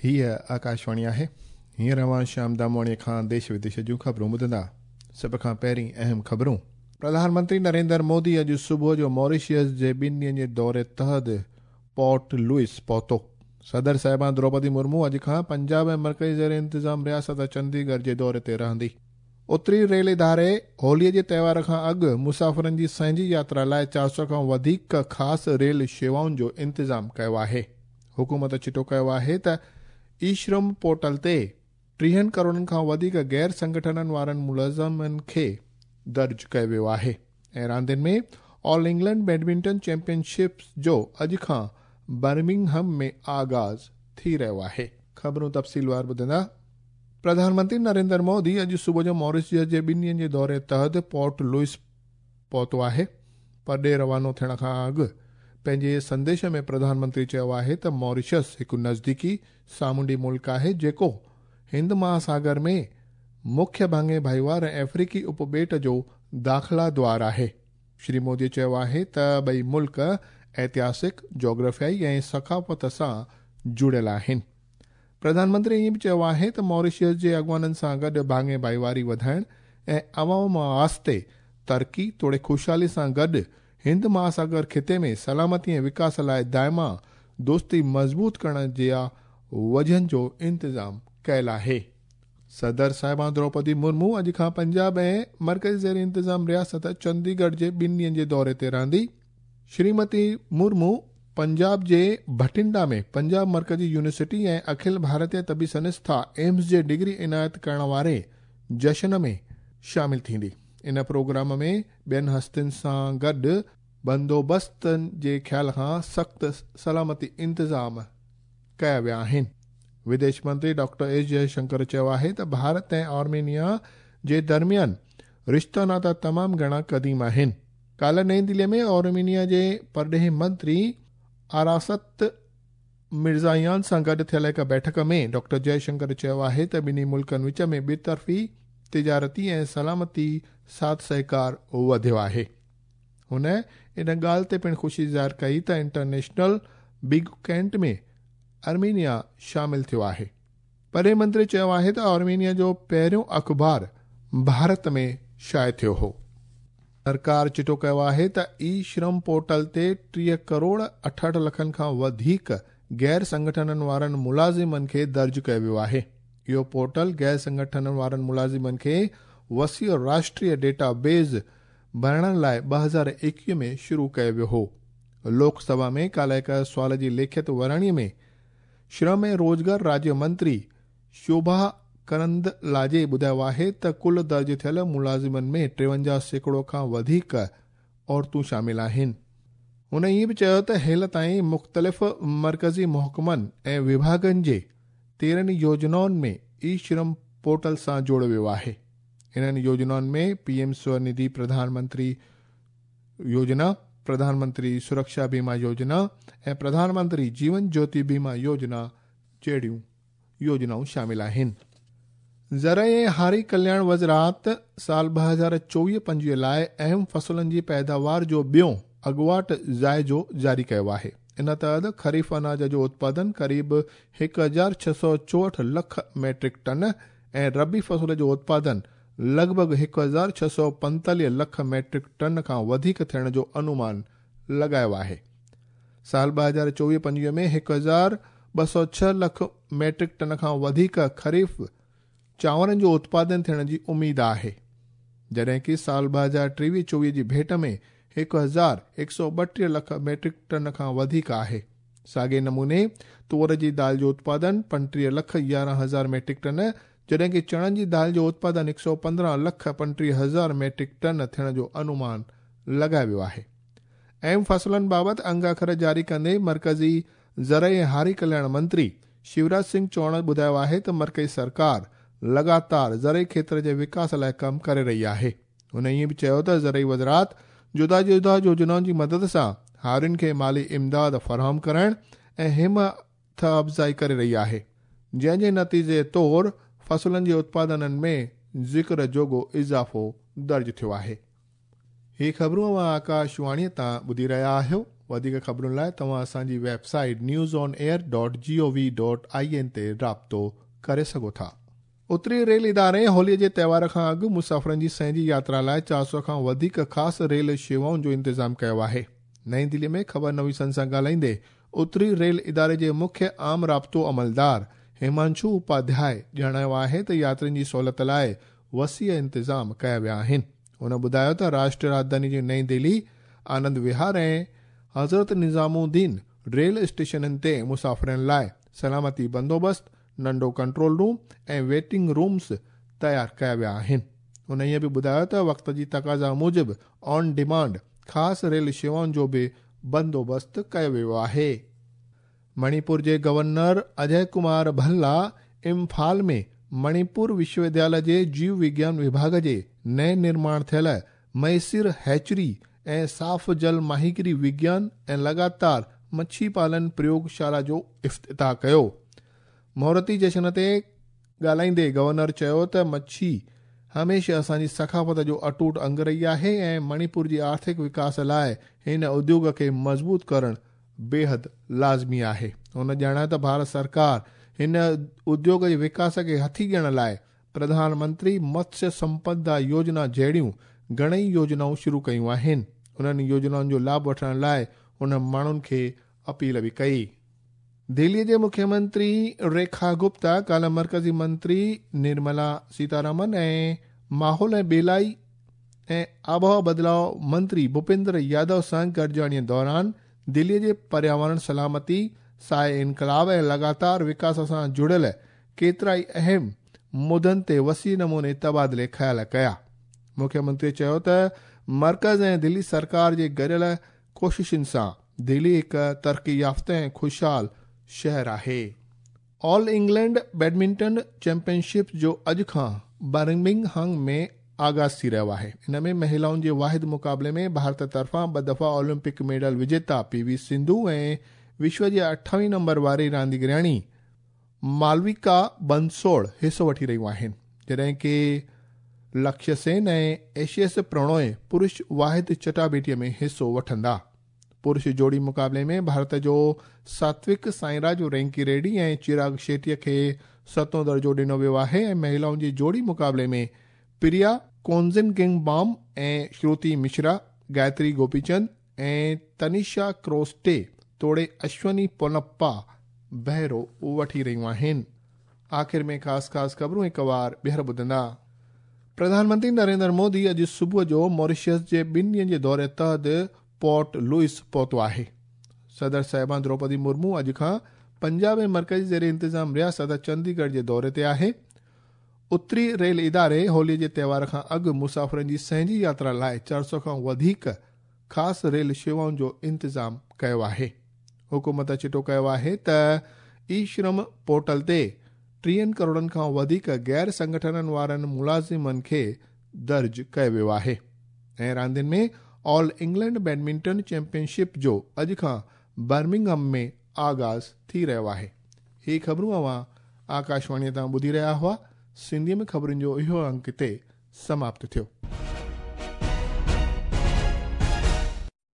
हीअ आकाशवाणी आहे। हींअर अव्हां श्याम दामवाणीअ खां देश विदेश जूं ख़बरूं ॿुधंदा। सभ खां पहिरीं अहम ख़बरूं। प्रधानमंत्री नरेंद्र मोदी अॼु सुबुह जो मॉरिशस जे ॿिनि ॾींहनि जे दौरे तहत पोर्ट लुइस पहुतो। सदर साहिबा द्रौपदी मुर्मू अॼु खां पंजाब ऐं मर्कज़ी ज़ेर इंतिज़ाम रियासत चंडीगढ़ जे दौरे ते रहंदी। उत्तरी रेल इदारे होलीअ जे त्योहार खां अॻु मुसाफ़िरनि जी संहिंजी यात्रा लाइ 400 खां वधीक ख़ासि रेल शेवाउनि जो इंतिज़ाम कयो आहे। हुकूमत चिटो कयो आहे त ई-श्रम पोर्टल ते 30 करोड़नि खां वधीक गैर संगठननि वारनि मुलाज़िमनि खे दर्ज कयो वियो आहे। ऐं रांदियुनि में ऑल इंग्लैंड बैडमिंटन चैंपियनशिप जो अॼु खां बर्मिंघम में आगाज़ थी रहियो आहे। ख़बरूं तफ़सीलवार ॿुधंदा। प्रधानमंत्री नरेंद्र मोदी अॼु सुबुह जो मॉरिशस जे ॿिनि ॾींहनि जे दौरे तहत पोर्ट लुइस पहुतो आहे। परॾेह रवानो थियण खां अॻु पंहिंजे संदेश में प्रधानमंत्री चयो आहे त मॉरिशस हिकु नज़दीकी सामुंडी मुल्क आहे जेको हिंद महासागर में मुख्य भाङे भाईवार ऐं अफ्रीकी उपॿेट जो दाख़िला द्वार आहे। श्री मोदी चयो आहे त ॿई मुल्क ऐतिहासिक, जोग्राफियाई ऐं सकाफ़त सां जुड़ियल आहिनि। प्रधानमंत्री ईअं बि चयो आहे त मॉरिशस जे अॻुवाननि सां गॾु भाङे भाईवारी वधाइण ऐं अवाम वास्ते तरक़ी तोड़े ख़ुशहाली सां गॾु हिंद महासागर ख़िते में सलामती ऐं विकास लाइ दाइमा दोस्ती मज़बूत करण जे वजहनि जो इंतिज़ाम कयल आहे। सदर साहिबा द्रौपदी मुर्मू अॼु खां पंजाब ऐं मर्कज़ी ज़ेर इंतिज़ाम रियासत चंडीगढ़ जे ॿिनि ॾींहनि जे दौरे ते रहंदी। श्रीमती मुर्मू पंजाब जे भटिंडा में पंजाब मर्कज़ी यूनिवर्सिटी ऐं अखिल भारतीय तबी संस्था एम्स जे डिग्री इनायत करण वारे जश्न में शामिल थींदी। इन प्रोग्राम में ॿियनि हस्तियुनि सां गॾु बंदोबस्तनि जे ख़्याल खां सख़्तु सलामती इंतिज़ाम कया विया आहिनि। विदेश मंत्री डॉक्टर एस जयशंकर चयो आहे त भारत ऐं आर्मेनिया जे दरमियान रिश्ता नाता तमामु घणा क़दीम आहिनि। काल्ह नई दिल्लीअ में आर्मेनिया जे परॾेही मंत्री आरासत मिर्ज़ायान सां गॾु थियल हिकु बैठक में डॉक्टर जयशंकर चयो आहे त ॿिन्ही मुल्कनि विच में ॿितरफ़ी तिजारती ऐं सलामती साथ सहकार वधियो आहे। हुन इन ॻाल्हि ते पिणु ख़ुशी ज़ाहिर कई त इंटरनेशनल बिग कैंट में आर्मेनिया शामिल थियो आहे। परॾेही मंत्री चयो आहे त आर्मेनिया जो पहिरियों अख़बार भारत में शाये थियो हो। सरकार चिटो कयो आहे त ई-श्रम पोर्टल ते 30 करोड़ 68 लखनि खां वधीक गैर संगठननि वारनि मुलाज़िमनि खे दर्ज कयो वियो आहे। इहो पोर्टल गैर संगठननि वारनि मुलाज़िमनि खे वसी राष्ट्रीय डेटाबेस भरण लाइ 2021 में शुरू कयो वियो हो। लोकसभा में काल्ह हिकु सुवाल जी लिखित वराणीअ में श्रम ऐं रोज़गार राज्य मंत्री शोभा करंदलाजे ॿुधायो आहे त कुल दर्ज थियल मुलाज़िमनि में 53% खां वधीक औरतूं शामिल आहिनि। हुन ईअं बि चयो त हेल ताईं मुख़्तलिफ़ मर्कज़ी महकमनि ऐं विभागनि जे 13 योजनाउनि में ई-श्रम पोर्टल सां जोड़ियो वियो आहे। इन्हनि योजनाउनि में पीएम स्वनिधि प्रधानमंत्री योजना, प्रधानमंत्री सुरक्षा बीमा योजना ऐं प्रधानमंत्री जीवन ज्योति बीमा योजना जहिड़ियूं योजनाऊं शामिल आहिनि। ज़रई ऐं हारी कल्याण वज़ारत साल 2024-25 लाइ अहम फसलनि जी पैदावार जो ॿियो अॻुवाट जाइज़ो जारी कयो आहे। इन तहत ख़रीफ़ अनाज जो उत्पादन क़रीब 1664 लख मेट्रिक टन ऐं रबी फसल जो उत्पादन लॻभॻ 1645 लख मेट्रिक टन खां वधीक थियण जो अनुमान लॻायो आहे। साल 2024-25 में 1206 लख मेट्रिक टन खां वधीक ख़रीफ़ चांवरनि जो उत्पादन थियण जी उमेद आहे, जॾहिं की साल 2023-24 जी भेंट में 1132 लख मेट्रिक टन खां वधीक आहे। साॻे नमूने तुअर जी दाल जो उत्पादन 35,11,000 मेट्रिक टन, जॾहिं की चणनि जी दाल जो उत्पादन 115,35,000 मेट्रिक टन थियण जो अनुमान लॻायो वियो आहे। अहम फसलनि बाबति अंग अखर जारी कंदे मर्कज़ी ज़रई ऐं हारी कल्याण मंत्री शिवराज सिंह चौहान ॿुधायो आहे त मर्कज़ी सरकार लगातार ज़रई क्षेत्र जे विकास लाइ कमु करे रही आहे। हुन ईअं बि चयो त ज़रई वज़ारत जुदा जुदा योजनाउनि जी मदद सां हारियुनि खे माली इमदाद फराहम करण ऐं हिमथ अफ़ज़ाई करे रही आहे, जंहिंजे नतीजे तौर फसलनि जे उत्पादननि में ज़िक्र जोगो इज़ाफ़ो दर्ज थियो आहे। هي خبرون اوهان آڪاشواڻيء تان ٻڌي رهيا آهيو. وڌيڪ خبرن لاء توهان اسان جي website news on air dot G O V dot I N تي رابطو ڪري سگهو ٿا. اتري ريل اداري هوليء جي تهوار کان اڳ مسافرن جي سهنجي ياترا لاء 400 کان وڌيڪ خاص ريل شيوائن جو انتظام ڪيو آهي. نئين دهلي ۾ خبر نويسن سان ڳالهائيندي اتري ريل اداري جي مکيه عام رابطو عملدار هيمانشو اپاڌياء ڄاڻايو آهي ته ياترين جي سهولت لاء وسيع انتظام ڪيا ويا آهن. هن ٻڌايو ته راشٽريه راڄڌاني جي نئين دهلي، آنند وهار ۽ حضرت نظام الدين ريل اسٽيشنن تي مسافرن لاء سلامتي بندوبست، ننڍو ڪنٽرول روم ۽ ويٽنگ رومز تيار ڪيا ويا آهن. هن ائين به ٻڌايو ته وقت جي تقاضا موجب آن ڊيمانڊ خاص ريل شيوائن جو به بندوبست ڪيو ويو آهي. مڻيپور جي گورنر اجي ڪمار ڀلا امڦال ۾ مڻيپور وشو وديالي جي جيو وگيان وڀاڳ جي نئين نرماڻ ٿيل مهيسر هيچري ۽ صاف جل ماهيگيري وگيان ۽ لڳاتار مڇي پالن پريوگشالا جو افتتاح ڪيو. مهورتي جشن تي ڳالهائيندي گورنر چيو ته مڇي هميشه اسان جي ثقافت جو اٽوٽ انگ رهي آهي ۽ مڻيپور جي آرٿڪ وڪاس لاء هن اديوگ کي مضبوط ڪرڻ بيحد لازمي آهي. هن ڄاڻايو ته ڀارت سرڪار هن اديوگ جي وڪاس کي هٿي ڏيڻ لاء پرڌان منتري متسيه سمپدا يوجنا جهڙيون گهڻئي يوجنائون شروع ڪيون آهن. انهن يوجنائن جو لاڀ وٺڻ لاء هن ماڻهن کي اپيل به ڪئي. دهلي جي مکيه منتري ريکا گپتا ڪالهه مرڪزي منتري نرملا سيتارامن ۽ ماحول ۽ ٻيلائي ۽ آبهوا بدلاء منتري ڀوپيندر يادو سان گڏجاڻي دوران دهلي جي پرياورڻ سلامتي، سائي انقلاب ۽ لڳاتار وڪاس سان جڙيل ڪيترائي اهم مدن تي وسيع نموني تبادلي خيال ڪيا. مکيه منتري چيو ته مرڪز ۽ دهلي سرڪار جي گڏيل ڪوششن سان دهلي هڪ ترقي يافته ۽ خوشحال شهر آهي. آل انگلينڊ بيڊمنٽن چيمپئن شپ جو اڄ کان برمنگهم ۾ آغاز ٿي رهيو آهي. ان ۾ مهلائن جي واحد مقابلي ۾ ڀارت طرفان ٻه دفعا اولمپڪ ميڊل وجيتا پي وي سنڌو ۽ وشو جي 28 نمبر واري رانديگرياڻي مالويڪا بنسوڙ حصو وٺي رهيون آهن، جڏهن ڪي لڪشيه سين ۽ ايڇ ايس پرڻوي پرش واحد چٽاڀيٽي ۾ حصو وٺندا. پرش جوڙي مقابلي ۾ ڀارت جو ساتوڪ سائنراج رينڪي ريڊي ۽ چراغ شيٽي کي ستون درجو ڏنو ويو آهي ۽ مهلائن جي جوڙي مقابلي ۾ پريا ڪونزنگنگبام ۽ شروتي مشرا، گايتري گوپيچند ۽ تنيشا ڪروسٽي توڙي اشوني پونپا بهرو وٺي رهيون آهن. آخر ۾ خاص خاص خبرون هڪ وار ٻيهر ٻڌندا. پرڌان منتري نريندر مودي اڄ صبح جو ماريشس جي ٻن ڏينهن جي دوري تحت پورٽ لوئس پهتو آهي. صدر صاحبان دروپدي مرمو اڄ کان پنجاب ۽ مرڪزي زير انتظام رياست چنديڳڙهه جي دوري تي آهي. اتري ريل اداري هولي جي تهوار کان اڳ مسافرن جي سهنجي ياترا لاء 400 کان وڌيڪ خاص ريل شيوائن جو انتظام ڪيو آهي. حڪومت چٽو ڪيو آهي ته اي شرم پورٽل تي 30 ڪروڙن کان وڌيڪ غير سنگٺنن وارن ملازمن کي درج ڪيو ويو آهي. ۽ راندين ۾ آل انگلينڊ بيڊمنٽن چيمپئن شپ جو اڄ کان برمنگهم ۾ آغاز ٿي رهيو آهي. هي خبرون اوهان آڪاشواڻي تان ٻڌي رهيا هئا. سنڌيء ۾ خبرن جو اهو انڪ هتي سماپت ٿيو.